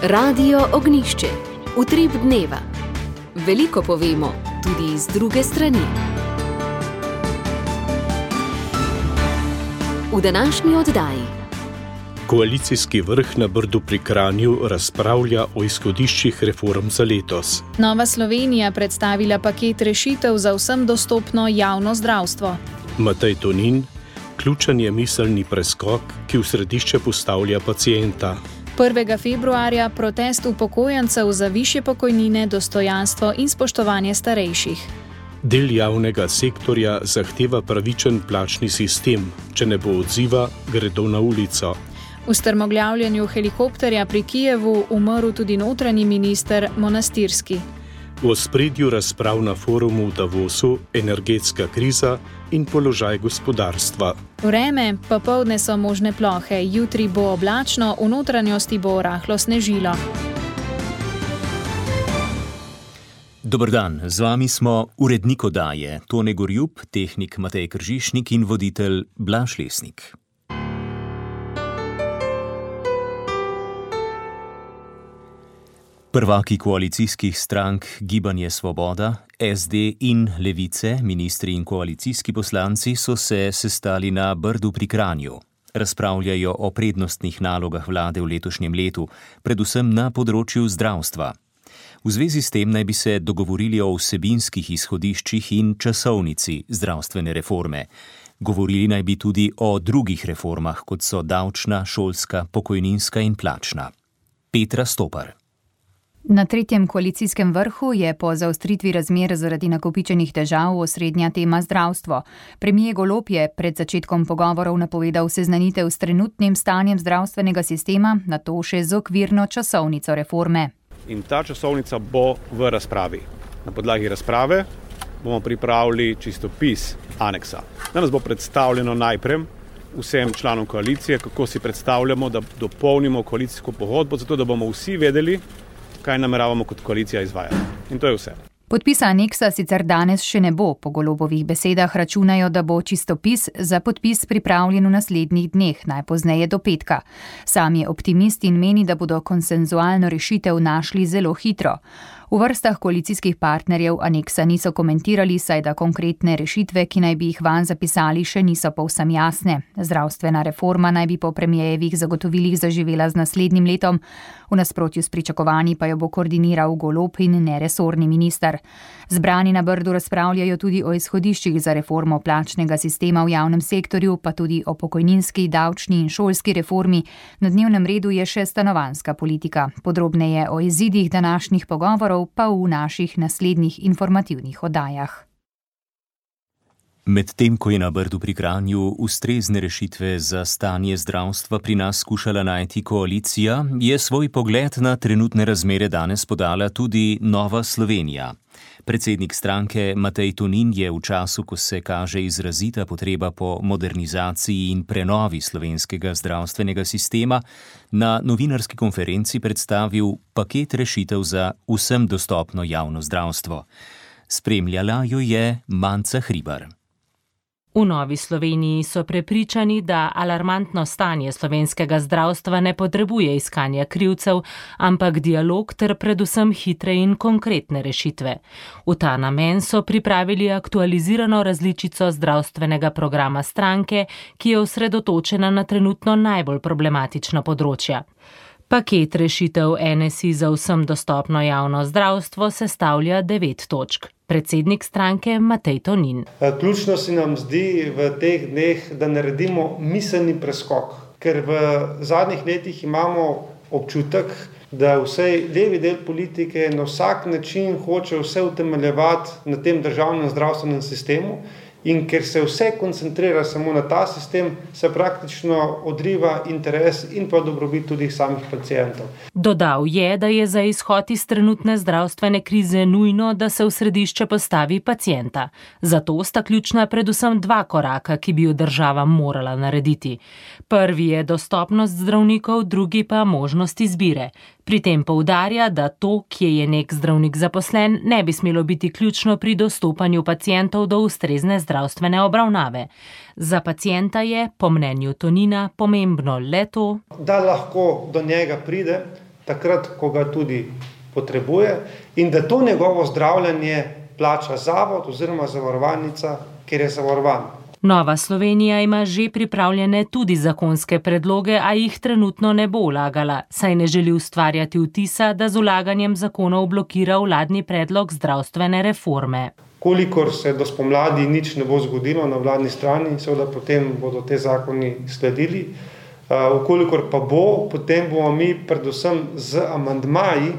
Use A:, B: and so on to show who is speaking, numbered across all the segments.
A: Radio Ognjišče. Utrip dneva. Veliko povemo, tudi iz druge strani. V današnji oddaji.
B: Koalicijski vrh na Brdu pri Kranju razpravlja o izhodiščih reform za letos.
C: Nova Slovenija predstavila paket rešitev za vsem dostopno javno zdravstvo.
B: Matej Tonin, ključen je miselni preskok, ki v središče postavlja pacienta.
C: 1. februarja protest upokojencev za višje pokojnine, dostojanstvo in spoštovanje starejših.
B: Del javnega sektorja zahteva pravičen plačni sistem. Če ne bo odziva, gredo na ulico.
C: V strmoglavljanju helikopterja pri Kijevu umrl tudi notranji minister Monastirski.
B: V ospredju razprav na forumu v Davosu energetska kriza in položaj gospodarstva.
C: Vreme, popoldne so možne plohe, jutri bo oblačno, v notranjosti bo rahlo snežilo.
D: Dober dan, z vami smo urednik oddaje Tone Gorjup, tehnik Matej Kržišnik in voditelj Blaž Lesnik. Prvaki koalicijskih strank Gibanje Svoboda, SD in Levice, ministri in koalicijski poslanci so se sestali na Brdu pri Kranju. Razpravljajo o prednostnih nalogah vlade v letošnjem letu, predvsem na področju zdravstva. V zvezi s tem naj bi se dogovorili o vsebinskih izhodiščih in časovnici zdravstvene reforme. Govorili naj bi tudi o drugih reformah, kot so davčna, šolska, pokojninska in plačna. Petra Stopar.
E: Na tretjem koalicijskem vrhu je po zaostritvi razmer zaradi nakopičenih težav osrednja tema zdravstvo. Premier Golob je pred začetkom pogovorov napovedal seznanitev s trenutnim stanjem zdravstvenega sistema, nato še z okvirno časovnico reforme.
F: In ta časovnica bo v razpravi. Na podlagi razprave bomo pripravili čistopis aneksa. Danes bo predstavljeno najprej vsem članom koalicije, kako si predstavljamo, da dopolnimo koalicijsko pogodbo, zato da bomo vsi vedeli, kaj nameravamo kot koalicija izvajati. In to je vse.
E: Podpisa aneksa sicer danes še ne bo. Po Golobovih besedah računajo, da bo čistopis za podpis pripravljen v naslednjih dneh, najpozneje do petka. Sam je optimist in meni, da bodo konsenzualno rešitev našli zelo hitro. V vrstah koalicijskih partnerjev aneksa niso komentirali, saj da konkretne rešitve, ki naj bi jih vanj zapisali, še niso povsem jasne. Zdravstvena reforma naj bi po premierjevih zagotovilih zaživela z naslednjim letom, v nasprotju s pričakovanji pa jo bo koordiniral Golob in ne resorni minister. Zbrani na Brdu razpravljajo tudi o izhodiščih za reformo plačnega sistema v javnem sektorju, pa tudi o pokojninski, davčni in šolski reformi. Na dnevnem redu je še stanovanjska politika. Podrobneje o izidih današnjih pogovorov pa v naših naslednjih informativnih oddajah.
D: Medtem ko je na Brdu pri Kranju ustrezne rešitve za stanje zdravstva pri nas skušala najti koalicija, je svoj pogled na trenutne razmere danes podala tudi Nova Slovenija. Predsednik stranke Matej Tonin je v času, ko se kaže izrazita potreba po modernizaciji in prenovi slovenskega zdravstvenega sistema, na novinarski konferenci predstavil paket rešitev za vsem dostopno javno zdravstvo. Spremljala jo je Manca Hribar.
G: V Novi Sloveniji so prepričani, da alarmantno stanje slovenskega zdravstva ne potrebuje iskanja krivcev, ampak dialog ter predvsem hitre in konkretne rešitve. V ta namen so pripravili aktualizirano različico zdravstvenega programa stranke, ki je osredotočena na trenutno najbolj problematična področja. Paket rešitev NSI za vsem dostopno javno zdravstvo sestavlja 9 točk. Predsednik stranke Matej Tonin.
H: Ključno se nam zdi v teh dneh, da naredimo miselni preskok, ker v zadnjih letih imamo občutek, da vsej levi del politike na vsak način hoče vse utemeljevati na tem državnem zdravstvenem sistemu. In ker se vse koncentrira samo na ta sistem, se praktično odriva interes in pa dobrobit tudi samih pacientov.
G: Dodal je, da je za izhod iz trenutne zdravstvene krize nujno, da se v središče postavi pacienta. Zato sta ključna predvsem 2 koraka, ki bi jo država morala narediti. Prvi je dostopnost zdravnikov, drugi pa možnost izbire. Pri tem poudarja, da to, kje je nek zdravnik zaposlen, ne bi smelo biti ključno pri dostopanju pacientov do ustrezne zdravstvene obravnave. Za pacienta je, po mnenju Tonina, pomembno le to,
H: da lahko do njega pride takrat, ko ga tudi potrebuje in da to njegovo zdravljenje plača zavod oziroma zavarovalnica, kjer je zavarovan.
G: Nova Slovenija ima že pripravljene tudi zakonske predloge, a jih trenutno ne bo vlagala, saj ne želi ustvarjati vtisa, da z vlaganjem zakonov blokira vladni predlog zdravstvene reforme.
H: Kolikor se do spomladi nič ne bo zgodilo na vladni strani, seveda potem bodo te zakoni sledili. Kolikor pa bo, potem bomo mi predvsem z amandmaji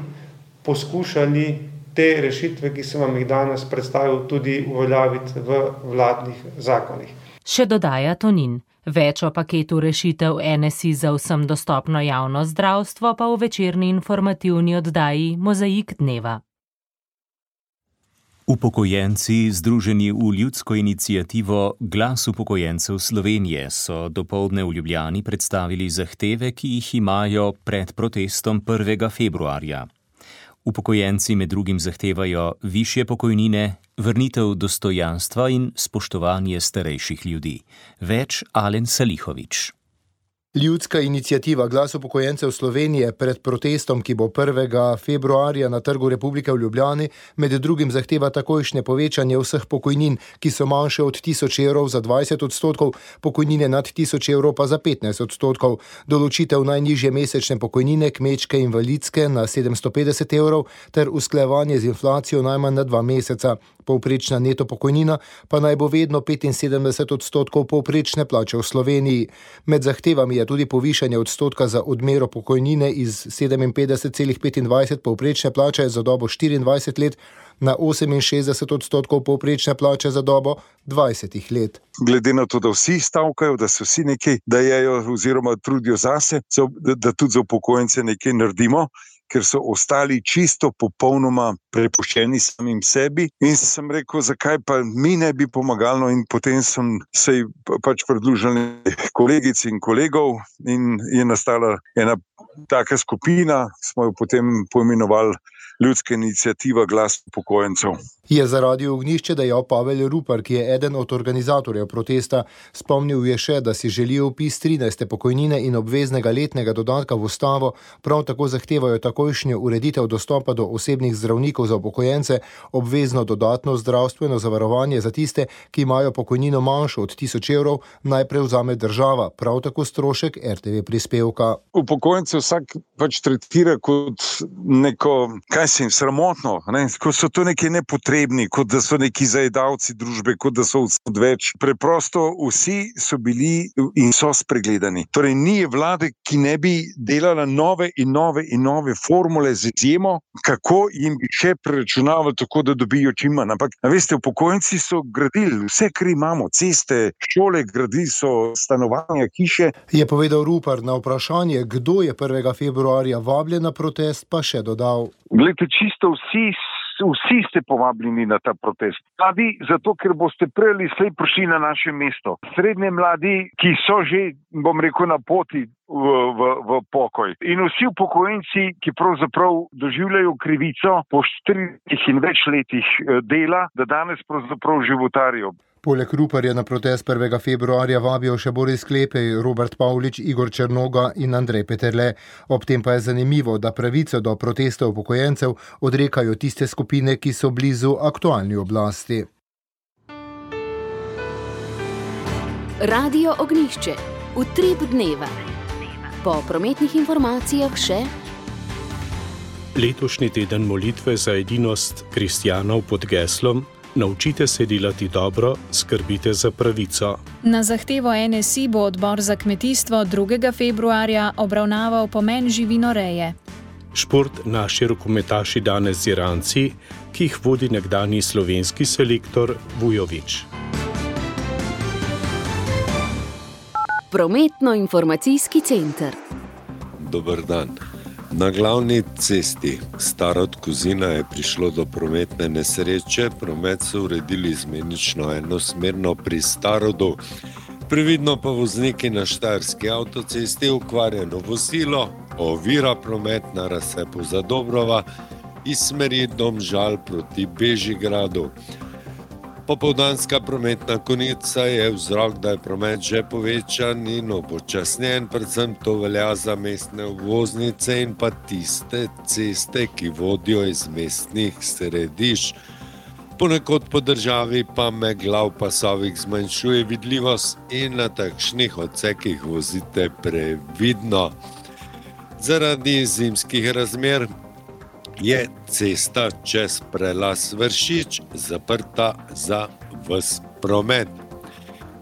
H: poskušali te rešitve, ki sem vam jih danes predstavil, tudi uveljaviti v vladnih zakonih.
G: Še dodaja Tonin. Več o paketu rešitev NSI za vsem dostopno javno zdravstvo pa v večerni informativni oddaji Mozaik dneva.
D: Upokojenci, združeni v ljudsko iniciativo Glas upokojencev Slovenije, so dopoldne v Ljubljani predstavili zahteve, ki jih imajo pred protestom 1. februarja. Upokojenci med drugim zahtevajo višje pokojnine, vrnitev dostojanstva in spoštovanje starejših ljudi. Več Alen Salihović.
I: Ljudska iniciativa Glas upokojencev Slovenije pred protestom, ki bo 1. februarja na Trgu Republike v Ljubljani, med drugim zahteva takojšnje povečanje vseh pokojnin, ki so manjše od 1000 evrov za 20%, pokojnine nad 1000 evrov pa za 15%, določitev najnižje mesečne pokojnine kmečke invalidske na 750 evrov ter usklajevanje z inflacijo najmanj na 2 meseca. Povprečna neto pokojnina pa naj bo vedno 75% povprečne plače v Sloveniji. Med zahtevami je tudi povišanje odstotka za odmero pokojnine iz 57,25 povprečne plače za dobo 24 let na 68% povprečne plače za dobo 20 let.
J: Glede na to, da vsi stavkajo, da se vsi nekaj dajejo oziroma trudijo zase, da tudi za upokojence nekaj naredimo, ker so ostali čisto popolnoma prepuščeni samim sebi. In sem rekel, zakaj pa mi ne bi pomagali, in potem sem se pač pridružil kolegic in kolegov in je nastala ena taka skupina, smo jo potem poimenovali Ljudska iniciativa Glas upokojencev.
I: Je za Radio Ognjišče dejal Pavel Rupar, ki je eden od organizatorjev protesta. Spomnil je še, da si želijo vpis 13. pokojnine in obveznega letnega dodatka v ustavo, prav tako zahtevajo takojšnjo ureditev dostopa do osebnih zdravnikov za upokojence, obvezno dodatno zdravstveno zavarovanje za tiste, ki imajo pokojnino manjšo od 1000 evrov, naj prevzame država, prav tako strošek RTV prispevka.
J: Upokojence vsak pač tretira kot neko, kaj se jim sramotno, kot so to neke nepotrebni, kot da so neki zajedavci družbe, kot da so odveč. Preprosto vsi so bili in so spregledani. Torej ni vlade, ki ne bi delala nove in nove formule z izjemo, kako jim bi še preračunavali tako, da dobijo čim manj. Ampak, veste, upokojenci so gradili vse, kar imamo, ceste, šole, gradili so stanovanja, hiše.
I: Je povedal Rupar. Na vprašanje, kdo je 1. februarja vabljen na protest, pa še dodal.
J: Glejte, čisto vsi ste povabljeni na ta protest. Mladi, zato ker boste prej ali slej prišli na naše mesto. Srednje mladi, ki so že, bom rekel, na poti v pokoj. In vsi upokojenci, ki pravzaprav doživljajo krivico po 4 in več letih dela, da danes pravzaprav životarijo.
I: Poleg Ruparja na protest 1. februarja vabijo še Boris Klepej, Robert Pavlič, Igor Črnoga in Andrej Peterle. Ob tem pa je zanimivo, da pravico do protesta upokojencev odrekajo tiste skupine, ki so blizu aktualni oblasti.
A: Radio Ognjišče. Utrip dneva. Po prometnih informacijah še
B: letošnji teden molitve za edinost kristjanov pod geslom Naučite se delati dobro, skrbite za pravico.
C: Na zahtevo NSI bo odbor za kmetijstvo 2. februarja obravnaval pomen živinoreje.
B: Šport naši rokometaši danes z Iranci, ki jih vodi nekdanji slovenski selektor Vujović.
A: Prometno-informacijski center.
K: Dober dan. Na glavni cesti Starod-Kozina je prišlo do prometne nesreče. Promet so uredili izmenično enosmerno pri Starodu. Previdno pa vozniki na Štajerski avtocesti, ukvarjeno vozilo ovira promet na razcepu Zadobrova iz smeri Domžal proti Bežigradu. Popoldanska prometna konica je vzrok, da je promet že povečan in upočasnjen, predvsem to velja za mestne obvoznice in pa tiste ceste, ki vodijo iz mestnih središč. Ponekod po državi pa megla v pasovih zmanjšuje vidljivost in na takšnih odsekih vozite previdno. Zaradi zimskih razmer je cesta čez prelaz Vršič zaprta za ves promet.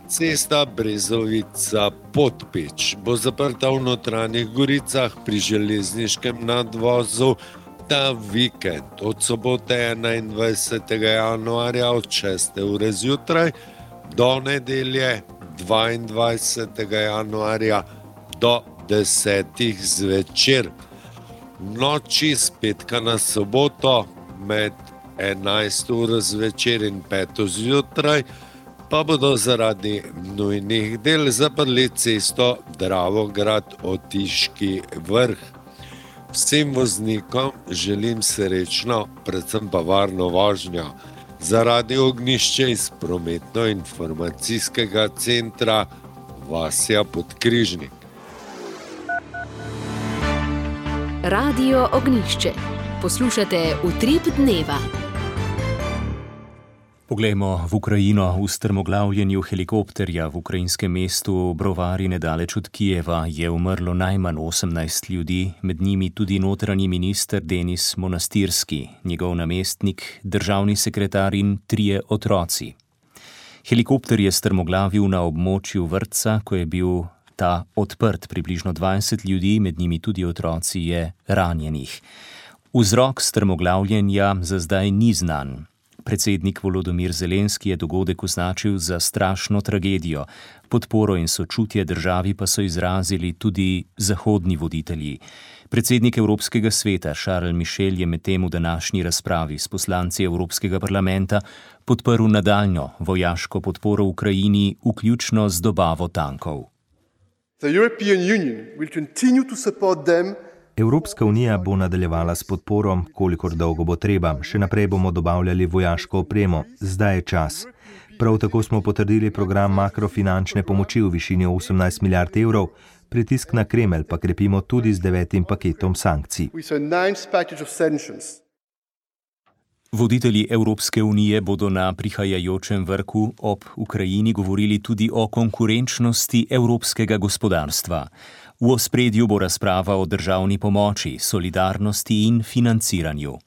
K: Cesta Brezovica-Podpeč bo zaprta v Notranjih Goricah pri železniškem nadvozu ta vikend od sobote 21. januarja od 6. ure zjutraj do nedelje 22. januarja do 10. zvečer. Noči z petka na soboto med 11. uro zvečer in 5. zjutraj pa bodo zaradi nujnih del zaprli cesto Dravograd-Otiški Vrh. Vsem voznikom želim srečno, predvsem pa varno vožnjo. Zaradi Ognjišče iz prometno-informacijskega centra Vasja Podkrižnik.
A: Radio Ognjišče. Poslušate Utrip dneva.
D: Poglejmo v Ukrajino. V strmoglavljenju helikopterja v ukrajinskem mestu Brovari nedaleč od Kijeva je umrlo najmanj 18 ljudi, med njimi tudi notranji minister Denis Monastirski, njegov namestnik, državni sekretar in 3 otroci. Helikopter je strmoglavil na območju vrtca, ko je bil ta odprt. Približno 20 ljudi, med njimi tudi otroci, je ranjenih. Vzrok strmoglavljenja za zdaj ni znan. Predsednik Volodymyr Zelenski je dogodek označil za strašno tragedijo. Podporo in sočutje državi pa so izrazili tudi zahodni voditelji. Predsednik Evropskega sveta Charles Michel je medtem v današnji razpravi s poslanci Evropskega parlamenta podprl nadaljnjo vojaško podporo Ukrajini, vključno z dobavo tankov.
L: Evropska unija bo nadaljevala s podporo, kolikor dolgo bo treba. Še naprej bomo dobavljali vojaško opremo. Zdaj je čas. Prav tako smo potrdili program makrofinančne pomoči v višini 18 milijard evrov, pritisk na Kremelj pa krepimo tudi z 9. paketom sankcij.
D: Voditelji Evropske unije bodo na prihajajočem vrhu ob Ukrajini govorili tudi o konkurenčnosti evropskega gospodarstva. V ospredju bo razprava o državni pomoči, solidarnosti in financiranju.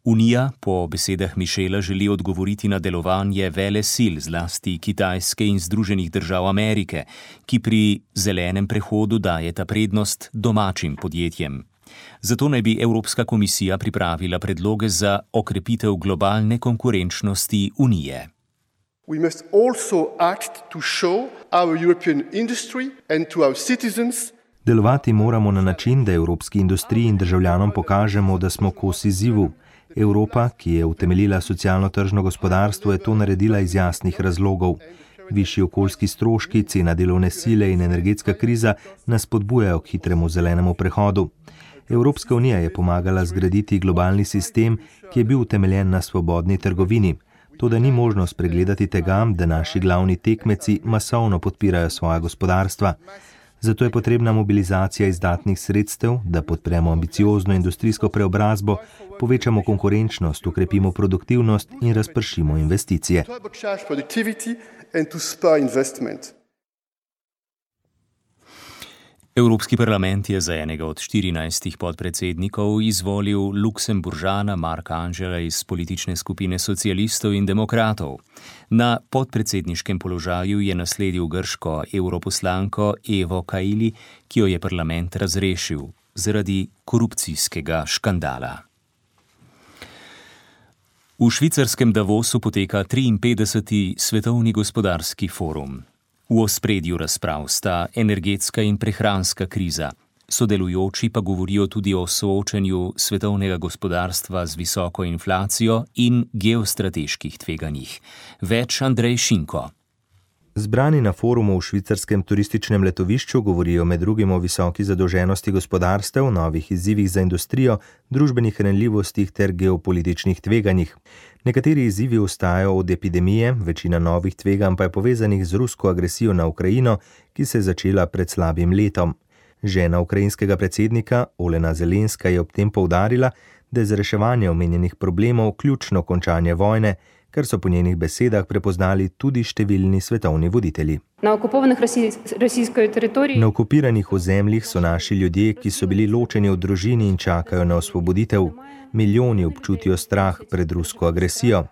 D: Unija po besedah Michela želi odgovoriti na delovanje velesil, zlasti Kitajske in Združenih držav Amerike, ki pri zelenem prehodu dajeta prednost domačim podjetjem. Zato naj bi Evropska komisija pripravila predloge za okrepitev globalne konkurenčnosti Unije.
M: We must also act to show our European industry and to our citizens.
L: Delovati moramo na način, da evropski industriji in državljanom pokažemo, da smo kos izzivu. Evropa, ki je utemeljila socialno-tržno gospodarstvo, je to naredila iz jasnih razlogov. Višji okoljski stroški, cena delovne sile in energetska kriza nas spodbujajo k hitremu zelenemu prehodu. Evropska unija je pomagala zgraditi globalni sistem, ki je bil utemeljen na svobodni trgovini. Toda ni možno spregledati tega, da naši glavni tekmeci masovno podpirajo svoja gospodarstva. Zato je potrebna mobilizacija izdatnih sredstev, da podpremo ambiciozno industrijsko preobrazbo, povečamo konkurenčnost, ukrepimo produktivnost in razpršimo investicije.
D: Evropski parlament je za enega od 14 podpredsednikov izvolil Luksemburžana Marka Angela iz politične skupine socialistov in demokratov. Na podpredsedniškem položaju je nasledil grško europoslanko Evo Kaili, ki jo je parlament razrešil zaradi korupcijskega škandala. V švicarskem Davosu poteka 53. svetovni gospodarski forum. V ospredju razprav sta energetska in prehranska kriza. Sodelujoči pa govorijo tudi o soočenju svetovnega gospodarstva z visoko inflacijo in geostrateških tveganjih. Več Andrej Šinko.
L: Zbrani na forumu v švicarskem turističnem letovišču govorijo med drugim o visoki zadolženosti gospodarstev, novih izzivih za industrijo, družbenih ranljivostih ter geopolitičnih tveganjih. Nekateri izzivi ostajajo od epidemije, večina novih tveganj pa je povezanih z rusko agresijo na Ukrajino, ki se je začela pred slabim letom. Žena ukrajinskega predsednika Olena Zelenska je ob tem poudarila, da je za reševanje omenjenih problemov ključno končanje vojne, kar so po njenih besedah prepoznali tudi številni svetovni voditelji. Na okupiranih ozemljih so naši ljudje, ki so bili ločeni od družini in čakajo na osvoboditev. Milijoni občutijo strah pred rusko agresijo.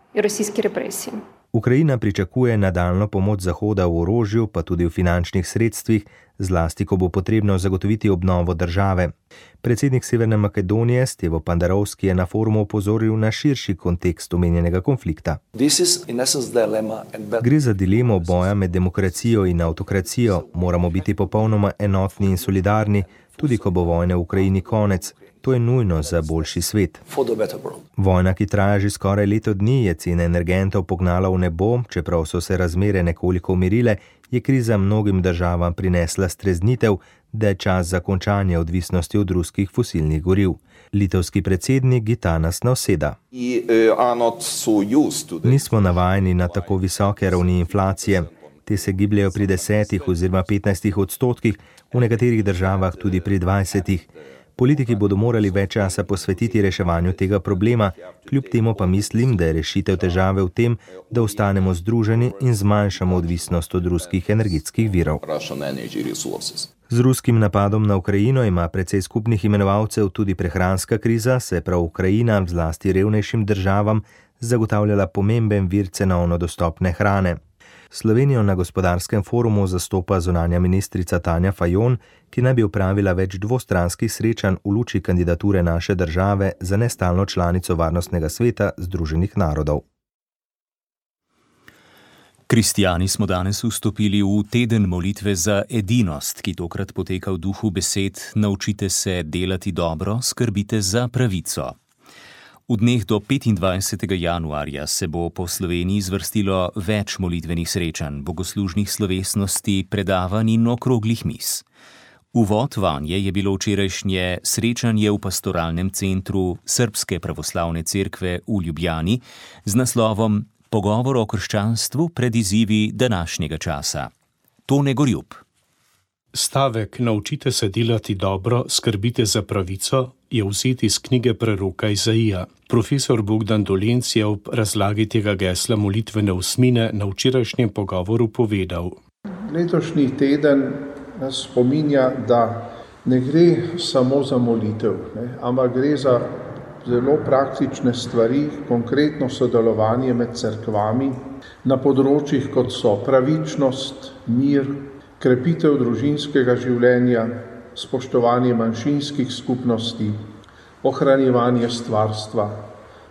L: Ukrajina pričakuje nadaljnjo pomoč Zahoda v orožju, pa tudi v finančnih sredstvih, zlasti ko bo potrebno zagotoviti obnovo države. Predsednik Severne Makedonije Stevo Pandarovski je na forumu opozoril na širši kontekst omenjenega konflikta. Gre za dilemo boja med demokracijo in avtokracijo. Moramo biti popolnoma enotni in solidarni, tudi ko bo vojne v Ukrajini konec. To je nujno za boljši svet. Vojna, ki traja že skoraj leto dni, je cene energentov pognala v nebo, čeprav so se razmere nekoliko umirile, je kriza mnogim državam prinesla streznitev, da je čas za končanje odvisnosti od ruskih fosilnih goriv. Litovski predsednik Gitanas Nausėda. Nismo navajeni na tako visoke ravni inflacije. Te se gibljajo pri 10 oziroma 15%, v nekaterih državah tudi pri 20%. Politiki bodo morali več časa posvetiti reševanju tega problema, kljub temu pa mislim, da je rešitev težave v tem, da ostanemo združeni in zmanjšamo odvisnost od ruskih energetskih virov. Z ruskim napadom na Ukrajino ima precej skupnih imenovalcev tudi prehranska kriza, se prav Ukrajina zlasti revnejšim državam zagotavljala pomemben vir cenovno dostopne hrane. Slovenijo na gospodarskem forumu zastopa zunanja ministrica Tanja Fajon, ki naj bi opravila več dvostranskih srečanj v luči kandidature naše države za nestalno članico Varnostnega sveta Združenih narodov.
D: Kristjani smo danes vstopili v teden molitve za edinost, ki tokrat poteka v duhu besed: naučite se delati dobro, skrbite za pravico. V dneh do 25. januarja se bo po Sloveniji zvrstilo več molitvenih srečanj, bogoslužnih slovesnosti, predavanj in okroglih miz. Uvod vanje je bilo včerajšnje srečanje v pastoralnem centru Srbske pravoslavne cerkve v Ljubljani z naslovom Pogovor o krščanstvu pred izzivi današnjega časa. Tone Gorjub.
B: Stavek naučite se delati dobro, skrbite za pravico je vzeti iz knjige preroka Izaija. Profesor Bogdan Dolenc je ob razlagi tega gesla molitvene osmine na včerajšnjem pogovoru povedal:
N: Letošnji teden nas spominja, da ne gre samo za molitev, ampak gre za zelo praktične stvari, konkretno sodelovanje med cerkvami na področjih, kot so pravičnost, mir, krepitev družinskega življenja, spoštovanje manjšinskih skupnosti, ohranjevanje stvarstva,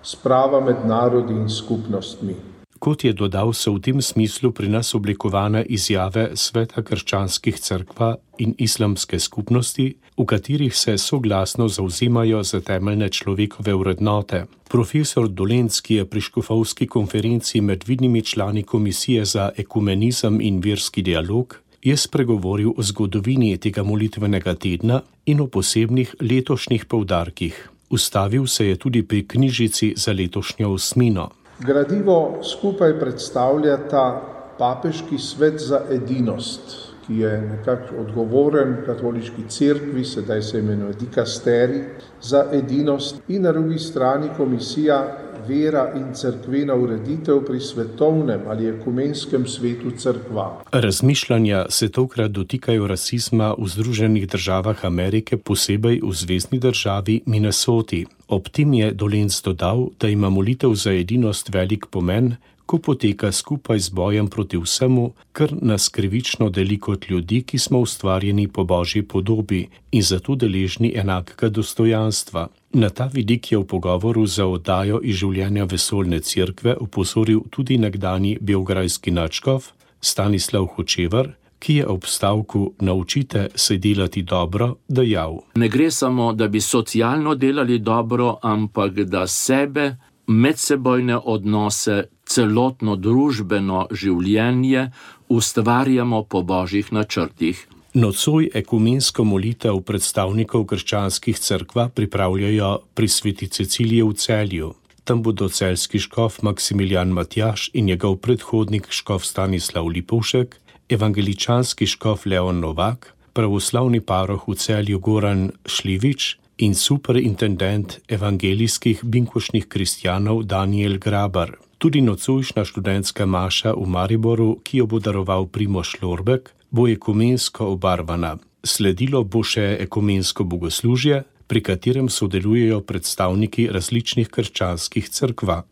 N: sprava med narodi in skupnostmi.
B: Kot je dodal, so v tem smislu pri nas oblikovane izjave Sveta krščanskih cerkva in islamske skupnosti, v katerih se soglasno zavzemajo za temeljne človekove vrednote. Profesor Dolenc, ki je pri škofovski konferenci med vidnimi člani Komisije za ekumenizem in verski dialog, je spregovoril o zgodovini tega molitvenega tedna in o posebnih letošnjih poudarkih. Ustavil se je tudi pri knjižici za letošnjo osmino.
N: Gradivo skupaj predstavljata papeški svet za edinost, ki je nekako odgovoren katoliški cerkvi, sedaj se imenuje dikasterij za edinost, in na drugi strani komisija vera in cerkvena ureditev pri svetovnem ali ekumenskem svetu cerkva.
B: Razmišljanja se tokrat dotikajo rasizma v Združenih državah Amerike, posebej v zvezni državi Minnesoti. Ob tem je Dolenc dodal, da ima molitev za edinost velik pomen, ko poteka skupaj z bojem proti vsemu, kar nas krivično deli kot ljudi, ki smo ustvarjeni po Božji podobi in zato deležni enakega dostojanstva. Na ta vidik je v pogovoru za oddajo iz življenja vesoljne cerkve opozoril tudi nekdanji beograjski nadškof Stanislav Hočevar, ki je ob stavku naučite se delati dobro dejal:
O: Ne gre samo, da bi socialno delali dobro, ampak da sebe, medsebojne odnose, celotno družbeno življenje ustvarjamo po božjih načrtih.
B: Nocoj ekumensko molitev predstavnikov krščanskih cerkva pripravljajo pri Sveti Ceciliji v Celju. Tam bodo celjski škof Maksimilijan Matjaž in njegov predhodnik škof Stanislav Lipovšek, evangeličanski škof Leon Novak, pravoslavni paroh v Celju Goran Šlivič in superintendent evangelijskih binkošnih kristjanov Daniel Grabar. Tudi nocojšnja študentska maša v Mariboru, ki jo bo daroval Primož Lorbek, bo ekumensko obarvana. Sledilo bo še ekumensko bogoslužje, pri katerem sodelujejo predstavniki različnih krščanskih cerkva.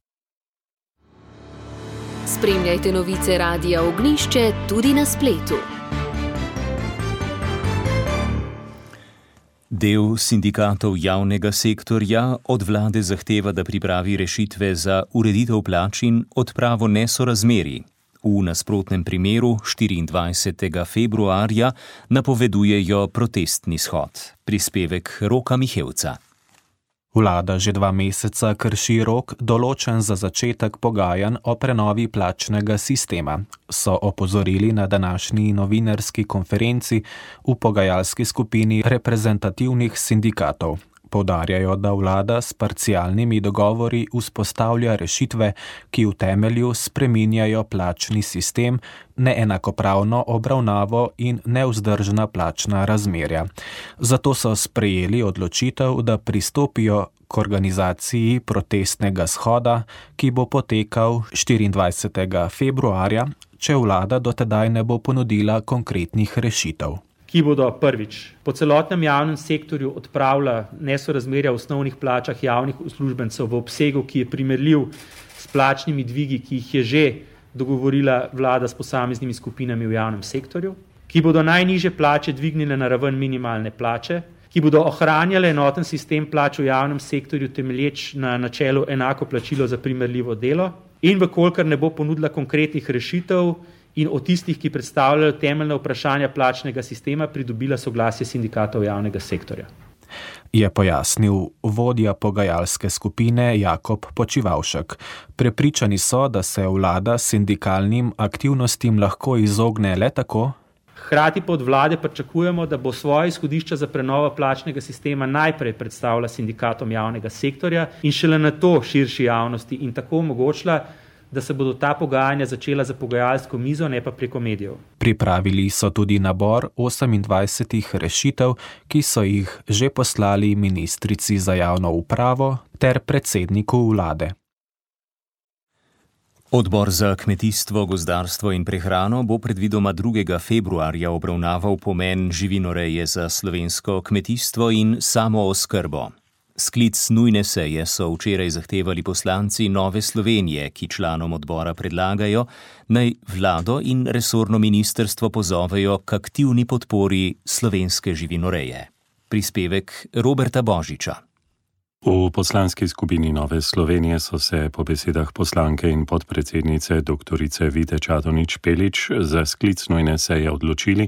A: Spremljajte novice Radia Ognjišče tudi na spletu.
D: Del sindikatov javnega sektorja od vlade zahteva, da pripravi rešitve za ureditev plač in odpravo nesorazmerij. V nasprotnem primeru 24. februarja napovedujejo protestni shod. Prispevek Roka Mihevca.
P: Vlada že 2 meseca krši rok, določen za začetek pogajanj o prenovi plačnega sistema, so opozorili na današnji novinarski konferenci v pogajalski skupini reprezentativnih sindikatov. Poudarjajo, da vlada s parcialnimi dogovori vzpostavlja rešitve, ki v temelju spreminjajo plačni sistem, neenakopravno obravnavo in nevzdržna plačna razmerja. Zato so sprejeli odločitev, da pristopijo k organizaciji protestnega shoda, ki bo potekal 24. februarja, če vlada dotedaj ne bo ponudila konkretnih rešitev.
Q: Ki bodo prvič po celotnem javnem sektorju odpravila nesorazmerja v osnovnih plačah javnih uslužbencev v obsegu, ki je primerljiv s plačnimi dvigi, ki jih je že dogovorila vlada s posameznimi skupinami v javnem sektorju, ki bodo najnižje plače dvignile na raven minimalne plače, ki bodo ohranjale enoten sistem plač v javnem sektorju temelječ na načelu enako plačilo za primerljivo delo in vkolikor ne bo ponudila konkretnih rešitev in o tistih, ki predstavljajo temeljne vprašanja plačnega sistema, pridobila soglasje sindikatov javnega sektorja.
P: Je pojasnil vodja pogajalske skupine Jakob Počivavšek. Prepričani so, da se vlada sindikalnim aktivnostim lahko izogne le tako.
Q: Hkrati pa od vlade pričakujemo, da bo svoje izhodišča za prenovo plačnega sistema najprej predstavila sindikatom javnega sektorja in šele nato širši javnosti in tako omogočila, da se bodo ta pogajanja začela za pogajalsko mizo, ne pa preko medijev.
P: Pripravili so tudi nabor 28 rešitev, ki so jih že poslali ministrici za javno upravo ter predsedniku vlade.
D: Odbor za kmetijstvo, gozdarstvo in prehrano bo predvidoma 2. februarja obravnaval pomen živinoreje za slovensko kmetijstvo in samooskrbo. Sklic nujne seje so včeraj zahtevali poslanci Nove Slovenije, ki članom odbora predlagajo, naj vlado in resorno ministrstvo pozovejo k aktivni podpori slovenske živinoreje. Prispevek Roberta Božiča.
R: V poslanski skupini Nove Slovenije so se po besedah poslanke in podpredsednice doktorice Vide Čadonič-Špelič za sklic nujne seje odločili,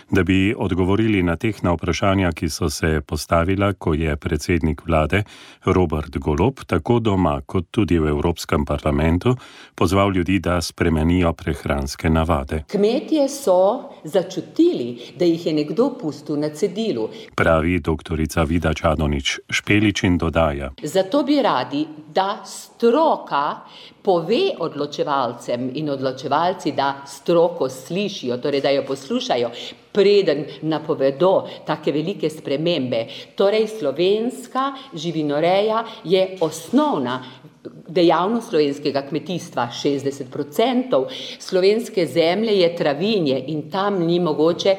R: da bi odgovorili na tehna vprašanja, ki so se postavila, ko je predsednik vlade Robert Golob tako doma kot tudi v Evropskem parlamentu pozval ljudi, da spremenijo prehranske navade.
S: Kmetje so začutili, da jih je nekdo pustil na cedilu,
R: pravi doktorica Vida Čadonič-Špelič in dodaja.
S: Zato bi radi, da stroka pove odločevalcem in odločevalci, da stroko slišijo, torej da jo poslušajo, preden napovedo take velike spremembe. Torej slovenska živinoreja je osnovna dejavnost slovenskega kmetijstva. 60% slovenske zemlje je travinje in tam ni mogoče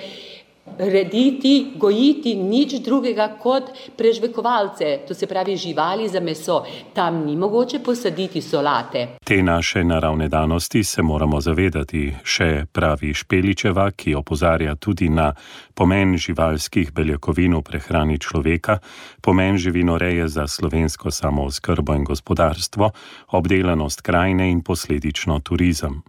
S: rediti, gojiti nič drugega kot prežvekovalce, to se pravi živali za meso. Tam ni mogoče posaditi solate.
R: Te naše naravne danosti se moramo zavedati, še pravi Špeličeva, ki opozarja tudi na pomen živalskih beljakovin v prehrani človeka, pomen živinoreje za slovensko samooskrbo in gospodarstvo, obdelanost krajine in posledično turizem.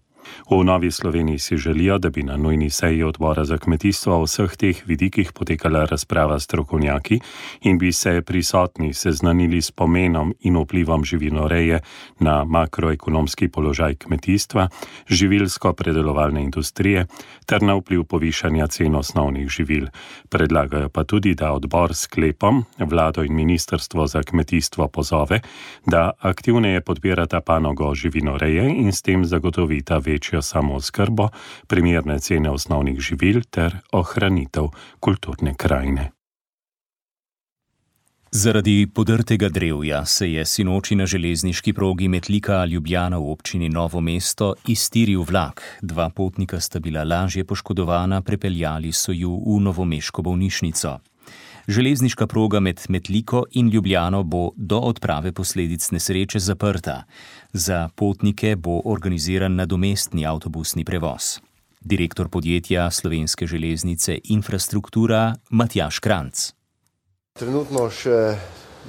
R: V Novi Sloveniji si želijo, da bi na nujni seji odbora za kmetijstvo o vseh teh vidikih potekala razprava s strokovnjaki in bi se prisotni seznanili s pomenom in vplivom živinoreje na makroekonomski položaj kmetijstva, živilsko-predelovalne industrije ter na vpliv povišanja cen osnovnih živil. Predlagajo pa tudi, da odbor s sklepom vlado in ministrstvo za kmetijstvo pozove, da aktivneje podpirata panogo živinoreje in s tem zagotovita večjo samooskrbo, primerne cene osnovnih živil ter ohranitev kulturne krajine.
D: Zaradi podrtega drevja se je sinoči na železniški progi Metlika-Ljubljana v občini Novo mesto iztiril vlak. 2 potnika sta bila lažje poškodovana, prepeljali so ju v novomeško bolnišnico. Železniška proga med Metliko in Ljubljano bo do odprave posledic nesreče zaprta. Za potnike bo organiziran nadomestni avtobusni prevoz. Direktor podjetja Slovenske železnice Infrastruktura Matjaž Kranc.
T: Trenutno še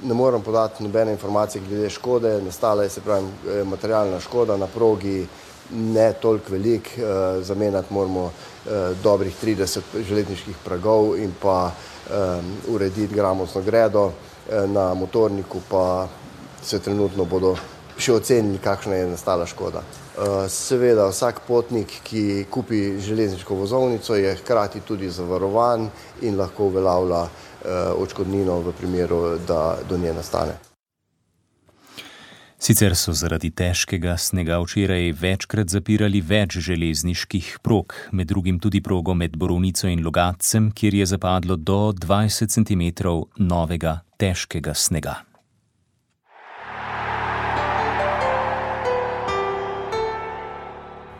T: ne moram podati nobene informacije glede škode. Nastala je, se pravi, materialna škoda na progi, ne toliko velik. Zamenjati moramo dobrih 30 železniških pragov in pa urediti gramotno gredo. Na motorniku pa se trenutno bodo še ocenili, kakšna je nastala škoda. Seveda, vsak potnik, ki kupi železniško vozovnico, je hkrati tudi zavarovan in lahko uveljavlja odškodnino v primeru, da do nje nastane.
D: Sicer so zaradi težkega snega včeraj večkrat zapirali več železniških prog, med drugim tudi progo med Borovnico in Logatcem, kjer je zapadlo do 20 cm novega težkega snega.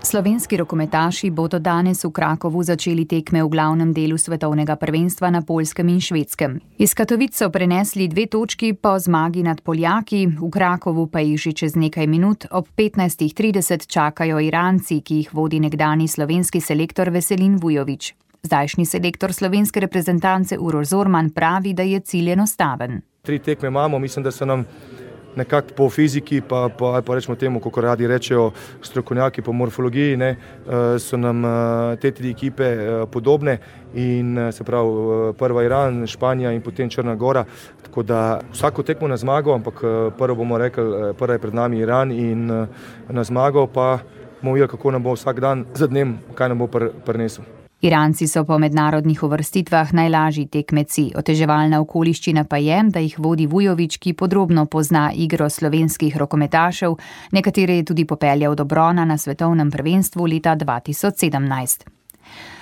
E: Slovenski rokometaši bodo danes v Krakovu začeli tekme v glavnem delu svetovnega prvenstva na Poljskem in Švedskem. Iz Katovic so prenesli 2 točki po zmagi nad Poljaki, v Krakovu pa jih že čez nekaj minut ob 15:30 čakajo Iranci, ki jih vodi nekdani slovenski selektor Veselin Vujović. Zdajšnji selektor slovenske reprezentance Uroš Zorman pravi, da je cilj enostaven.
U: 3 tekme imamo, mislim, da se nam nekako po fiziki, pa rečemo temu, kako radi rečejo strokovnjaki po morfologiji, so nam te 3 ekipe podobne in se pravi prva Iran, Španija in potem Črna Gora, tako da vsako tekmo na zmago, ampak prvo bomo rekli, prva je pred nami Iran in na zmago pa bomo videli, kako nam bo vsak dan za dnem, kaj nam bo prinesel.
E: Iranci so po mednarodnih uvrstitvah najlažji tekmeci. Oteževalna okoliščina pa je, da jih vodi Vujović, ki podrobno pozna igro slovenskih rokometašev, nekatere je tudi popeljal do brona na svetovnem prvenstvu leta 2017.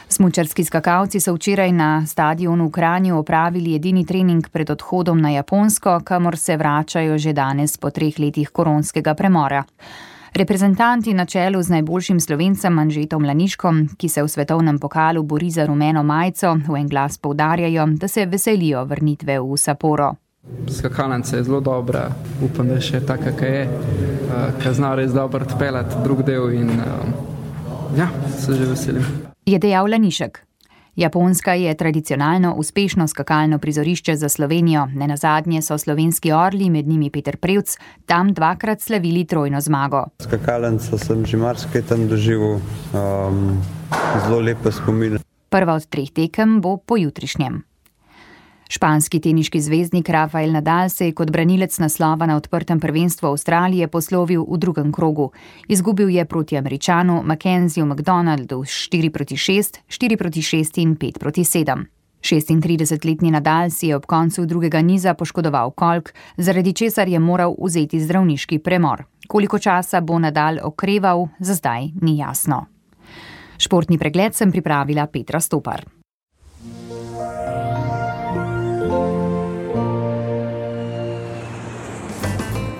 E: Smučarski skakalci so včeraj na stadionu v Kranju opravili edini trening pred odhodom na Japonsko, kamor se vračajo že danes po 3 letih koronskega premora. Reprezentanti na čelu z najboljšim Slovencem Anžetom Laniškom, ki se v svetovnem pokalu bori za rumeno majico, v en glas poudarjajo, da se veselijo vrnitve v Sapporo.
V: Skakalnica je zelo dobra, upam, da je še taka, kaj je, kaj zna res dobro odpeljati drug del in se že veselim.
E: Je dejal Lanišek. Japonska je tradicionalno uspešno skakalno prizorišče za Slovenijo. Nenazadnje so slovenski orli, med njimi Peter Prevc, tam 2-krat slavili trojno zmago.
W: Skakalnico sem že marsikaj tam doživel, zelo lepe spomine.
E: Prva od 3 tekem bo pojutrišnjem. Španski teniški zvezdnik Rafael Nadal se je kot branilec naslova na odprtem prvenstvu Avstralije poslovil v drugem krogu. Izgubil je proti Američanu Mackenzieju McDonaldu 4-6, 4-6 in 5-7. 36-letni Nadal si je ob koncu drugega niza poškodoval kolk, zaradi česar je moral vzeti zdravniški premor. Koliko časa bo Nadal okreval, za zdaj ni jasno. Športni pregled sem pripravila Petra Stopar.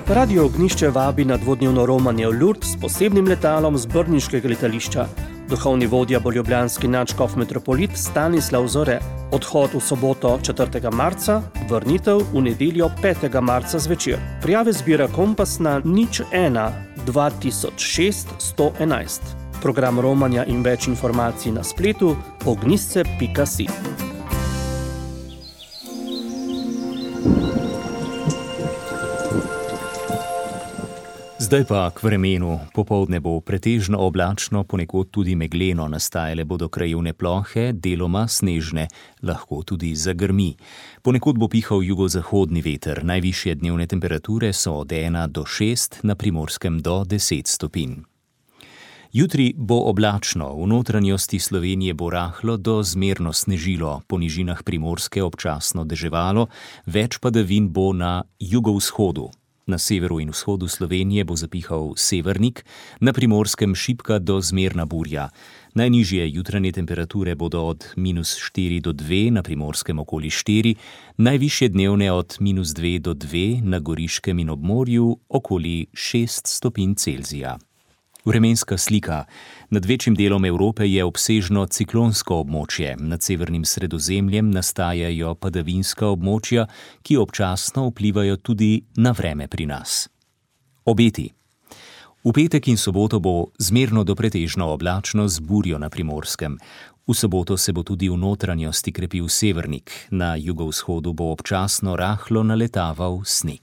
X: Radio Ognjišče vabi na dvodnevno romanje v Lourdes s posebnim letalom z brniškega letališča. Duhovni vodja bo ljubljanski nadškof metropolit Stanislav Zore. Odhod v soboto 4. marca, vrnitev v nedeljo 5. marca zvečer. Prijave zbira Kompas na 01 2006 111. Program romanja in več informacij na spletu ognjisce.si.
D: Zdaj pa k vremenu. Popoldne bo pretežno oblačno, ponekod tudi megleno, nastajale bodo krajevne plohe, deloma snežne, lahko tudi zagrmi. Ponekod bo pihal jugozahodni veter, najvišje dnevne temperature so od 1 do 6, na Primorskem do 10 stopinj. Jutri bo oblačno, v notranjosti Slovenije bo rahlo do zmerno snežilo, po nižinah Primorske občasno deževalo, več padavin bo na jugovzhodu. Na severu in vzhodu Slovenije bo zapihal severnik, na Primorskem šibka do zmerna burja. Najnižje jutranje temperature bodo od -4 do 2, na Primorskem okoli 4, najvišje dnevne od -2 do 2, na Goriškem in ob morju okoli 6 stopinj Celzija. Vremenska slika. Nad večjim delom Evrope je obsežno ciklonsko območje. Nad severnim Sredozemljem nastajajo padavinska območja, ki občasno vplivajo tudi na vreme pri nas. Obeti. V petek in soboto bo zmerno do pretežno oblačno z burjo na Primorskem. V soboto se bo tudi v notranjosti krepil severnik. Na jugovzhodu bo občasno rahlo naletaval sneg.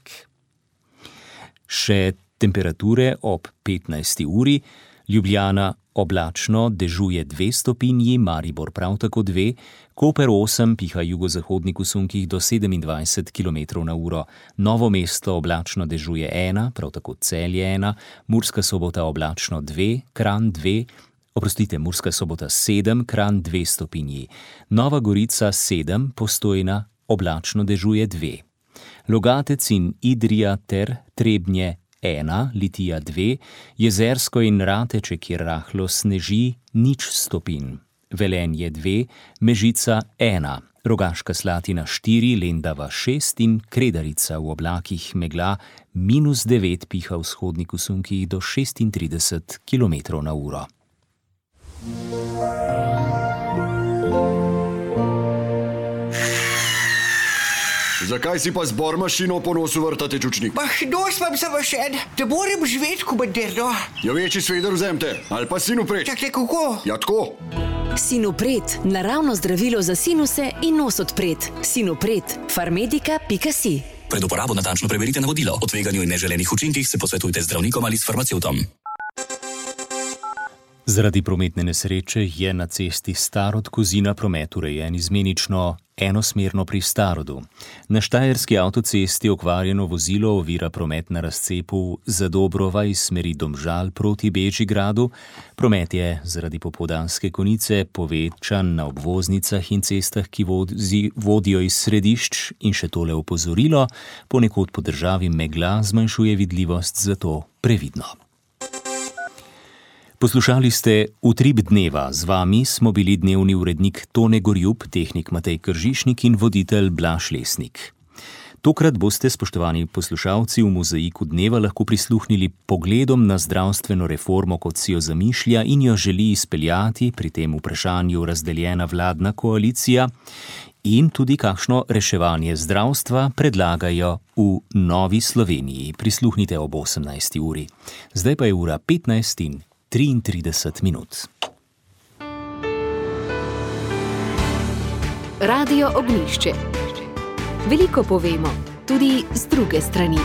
D: Še temperature ob 15. uri, Ljubljana oblačno, dežuje 2 stopinji, Maribor prav tako 2, Koper 8, piha jugozahodnik v sunkih do 27 km/h, Novo mesto oblačno dežuje 1, prav tako Celje 1, Murska Sobota oblačno 2, Kranj 2, Murska Sobota 7, Kranj 2 stopinji, Nova Gorica 7, Postojna oblačno dežuje 2. Logatec in Idrija ter Trebnje 1, Litija 2, Jezersko in Rateče, kjer rahlo sneži, 0 stopinj. Velenje 2, Mežica 1, Rogaška Slatina 4, Lendava 6 in Kredarica v oblakih megla, -9 piha vzhodnik v sunkih do 36 km/h.
F: Zakaj si pa z bormašino po nosu vrtate čučnik?
G: Nos vam zavašen, da moram živeti komandirno.
F: Ja, večji sveder vzemte, ali pa sinupret.
G: Čakaj, kako?
F: Ja, tako.
A: Sinupret, naravno zdravilo za sinuse in nos odpret. Sinupret, farmedika.si.
H: Pred uporabo natančno preverite navodilo. O tveganju in neželenih učinkih se posvetujte z zdravnikom ali s farmacevtom.
D: Zaradi prometne nesreče je na cesti Starod-Kozina promet urejen izmenično enosmerno pri Starodu. Na štajerski avtocesti okvarjeno vozilo ovira promet na razcepu Zadobrova iz smeri Domžal proti Bežigradu. Promet je zaradi popoldanske konice povečan na obvoznicah in cestah, ki vodijo iz središč, in še tole opozorilo, ponekod po državi megla zmanjšuje vidljivost, zato previdno. Poslušali ste Utrip dneva, z vami smo bili dnevni urednik Tone Gorjup, tehnik Matej Kržišnik in voditelj Blaž Lesnik. Tokrat boste, spoštovani poslušalci, v mozaiku dneva lahko prisluhnili pogledom na zdravstveno reformo, kot si jo zamišlja in jo želi izpeljati, pri tem vprašanju razdeljena vladna koalicija, in tudi kakšno reševanje zdravstva predlagajo v Novi Sloveniji. Prisluhnite ob 18. uri. Zdaj pa je ura 15:33.
A: Radio Ognjišče. Veliko povemo, tudi z druge strani.